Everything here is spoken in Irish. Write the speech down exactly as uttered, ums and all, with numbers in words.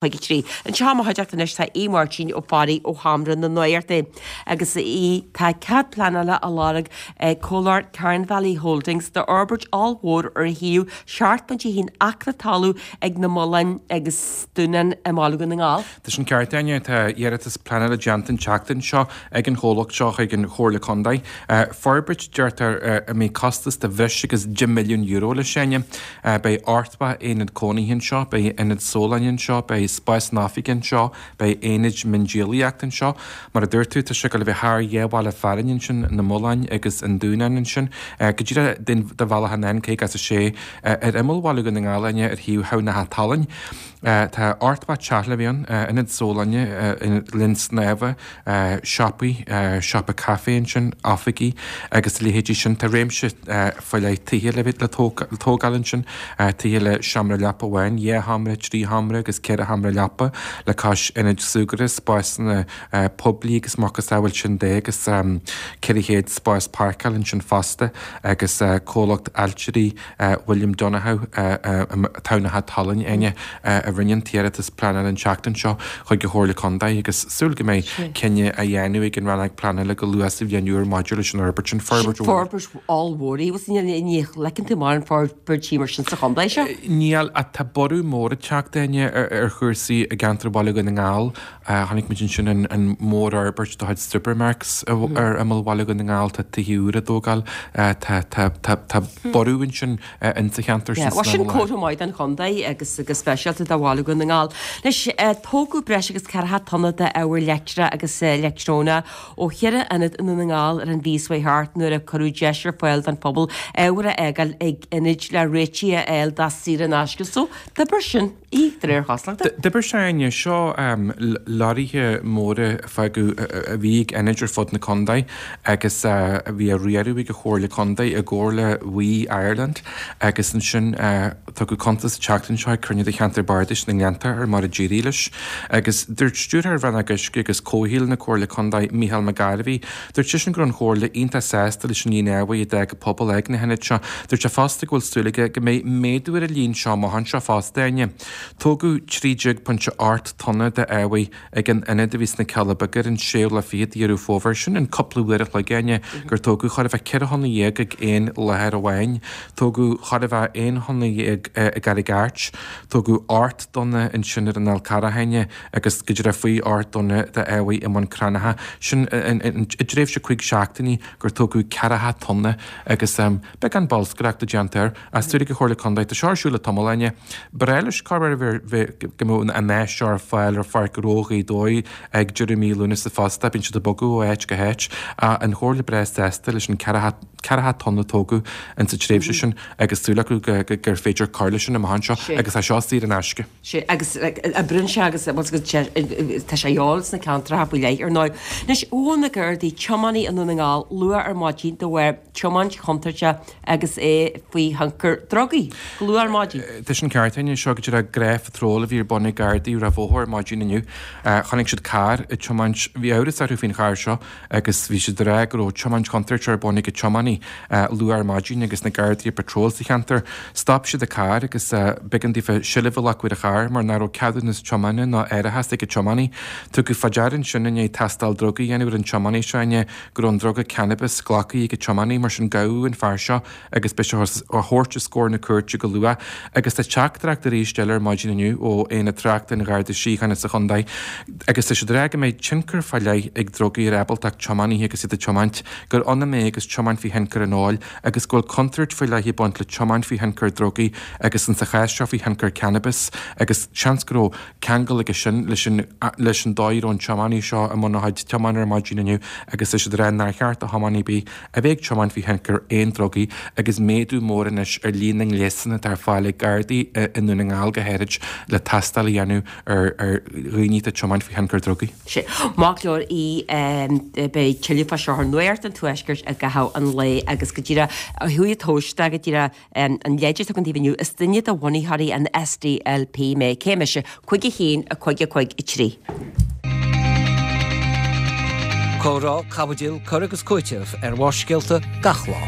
cúig a trí. Anseo i mo chuideachta anois tá Aodh Máirtín Ó Fearraigh ó Sheomra na Nuachta agus a Aoidh, tá cead pleanála á lorg ag comhlacht Carn Valley Holdings d'fhorbairt ollmhór ar shuíomh seacht bpointe a haon acra talún ag na Mulláin agus Dúnán i mBaile Dhún na nGall. Tá sin ceart, Áine. Tá iarratas pleanála déanta an tseachtain seo ag an chomhlacht seo chuig an Chomhairle Contae. Forbairt, deirtear, a mbeidh costas de bhreis agus deich milliún euro leis, Áine. Beidh ochtó aonad cónaithe anseo, beidh ionad sólainne anseo, beidh spásanna oifige anseo, beidh aonaid miondíolaíochta anseo. Mar a dúirt tú, tá sé ag dul a bheith thar dhá bhaile fearainn ansin, na Mulláin agus an Dúnán ansin, go díreach de bhealach an N caoga is a sé ar imeall Bhaile Dhún na nGall, Áine, ar thaobh Thamhnach Talainn. Tá ochtó teach le bheith ann, ionad sólainne, linn snámha, siopaí, siopa caife ansin, oifigí agus a leithéidí sin. Tá réimse faoi leith tithe le bheith le tógáil ansin, tithe le seomra leapa amháin, dhá sheomra, trí sheomra agus ceithre sheomra leapa, le cois ionaid súgartha, spásanna poiblí agus macasamhail sin de agus ceithre chéad spás páirceála ansin fosta agus comhlacht ailtirí William Donohoe Tamhnach Talainn, Áine, a rinne an t-iarratas pleanála an tseachtain seo chuig an Chomhairle Contae agus súil go mbeidh cinneadh á dhéanamh ag an Rannóg Pleanála go luath sa bhliain úr maidir leis an fhorbairt sin. Forbairt mhór. Forbairt ollmhór í. Ní fheiceann tú mórán forbairtí mar sin sa chontae seo. Níl, ach tá borradh mór ag teacht, Áine, ar chúrsaí i gceantar Bhaile Dhún na nGall. Chonaic muid ansin an mhórfhorbairt de chuid Supermacs ar imeall Bhaile Dhún na nGall, tá tithe úra á dtógáil, tá borradh ansin insa cheantar sin san Sin comhartha maith don chontae agus go speisialta do Bhaile Dhún na nGall. Anois, tógadh breis agus ceathracha tonna d'ábhar leictreach agus leictreonach ó cheithre ionad i nDún na nGall ar an mhí seo thart nuair a cuireadh deis ar fáil don phobal ábhar a fhágáil ag ionaid le réitigh a fháil dá saor in aisce. So, d'oibir sin í, de réir chosúlachta. D'oibir sé, Áine. Seo leoraithe móra a fágadh a bhí ag ionaid ar fud na contae agus a bhí á riaradh ag an Chomhairle Contae i gcomhar le WEEE Ireland agus ansin tugadh cuntas an tseachtain seo ag cruinniú de Cheantar Bardais na nGleanntach ar mar a d'éirigh leis agus dúirt Stiúrthóir Rannóg Uisce agus Comhshaoil na Comhairle Contae, Mícheál McGarvey, dúirt seisean go raibh an Chomhairle iontach sásta leis an líon ábhair a d'fhág an pobal ag na hionaid seo. Dúirt sé fosta go bhfuil súil aige go mbeidh méadú ar an líon seo amach anseo fosta, Áine. Tógadh trí déag pointe ocht tonna d'ábhair ag an ionad a bhí sna Cealla Beaga ar an séú lá fichead de Dheireadh Fómhair. Sin in cúpla uair a chloig, Áine, gur tógadh chóir a bheith ceithre thonna dhéag ag aon láthair amháin. Tógadh chóir a bheith aon thonna dhéag i gCarraig Airt. Tógadh ocht dtonna ansin ar an Fhál Carrach, Áine, agus go díreach faoi ocht dtonna d'ábhair i mBun Cranncha. Sin i dtréimhse cúig seachtainí gur tógadh ceathracha tonna agus beagán bolscaireachta déanta air. Ach súil ag an Chomhairle Contae, tá seo ar siúl le tamall, Áine. Ba bhreá leis cá bith go mbeadh an áis seo ar fáil ar Pháirc Ghnó Ghaoth Dobhair ag deireadh mí Lúnasa fosta. Bíonn siad ag bogadh ó áit go háit. An Chomhairle breá sásta leis an ceathracha tonna a tógadh insa tréimhse sin agus súil acu gur féidir cur leis sin amach anseo agus tá seo saor in aisce. Sea, agus oibríonn sé agus tá sé a dhíobháil sna ceantracha faoi leith ar ndóigh. Anois, ghabh na Gardaí tiománaí i nDún na nGall luath ar maidin de bharr tiomáint chontúirteach agus é faoi thionchar drugaí. Go luath ar maidin. Tá sin ceart, Áine. Seo go díreach gnáthphatról a bhí ar bun ag Gardaí ar an bhóthar ar maidin inniu. Chonaic siad carr ag tiomáint, bhí amhras orthu faoin charr seo agus bhí siad ag rá go raibh tiomáint chontúirteach ar bun ag an tiománaí luath ar maidin agus na Gardaí ar patról sa cheantar. Stop siad an carr agus b'éigean daofa seilbh a ghlacadh ar an charr mar nach raibh ceadúnas tiomána ná árachas ag an tiománaí. Tugadh fá deara ansin i ndiaidh tástáil drugaí a dhéanamh ar an tiománaí seo, Áine, go raibh an druga cannabis glactha ag an tiománaí, mar sin gabhadh an fear seo agus beidh sé á thabhairt os comhair na cúirte go luath. Agus tá teachtaireacht arís eile ar maidin inniu ó Aonad Tráchta an Gharda Síochána sa chontae agus tá siad ag rá go mbeidh tionchar fá leith ag drugaí ar ábaltacht tiománaithe agus iad ag tiomáint, gur ionann é agus tiomáint faoi thionchar an óil agus go bhfuil contúirt faoi leith ag baint le tiomáint faoi thionchar drugaí agus insa chás seo faoi thionchar cannabis agus seans go raibh ceangal aige sin leis an leis an dóigh a raibh an tiománaí seo i mbun a chuid tiomána ar maidin inniu agus tá siad ag rá nár cheart do thiománaí ar bith a bheith ag tiomáint faoi thionchar aon drugaí agus méadú mór anois ar líon na ngléasanna atá ar fáil ag Gardaí i nDún na nGall go háirid le tástáil a dhéanamh ar ar dhaoine atá ag tiomáint faoi thionchar drugaí. Sea. Maith go leor a Aoidh, beidh tuilleadh fá seo ar Nuacht an Tuaiscirt i gcaitheamh an lae agus go díreach ó thuaidh tomhaiste go díreach an leid atá agam daoibh inniu, is duine de bhunaitheoirí an SDLP mé. Cé mise? Cúig a haon, a cúig a cúig a trí. Comhrá, caibidil, cur agus cúiteamh ar Bharrscéalta gach lá.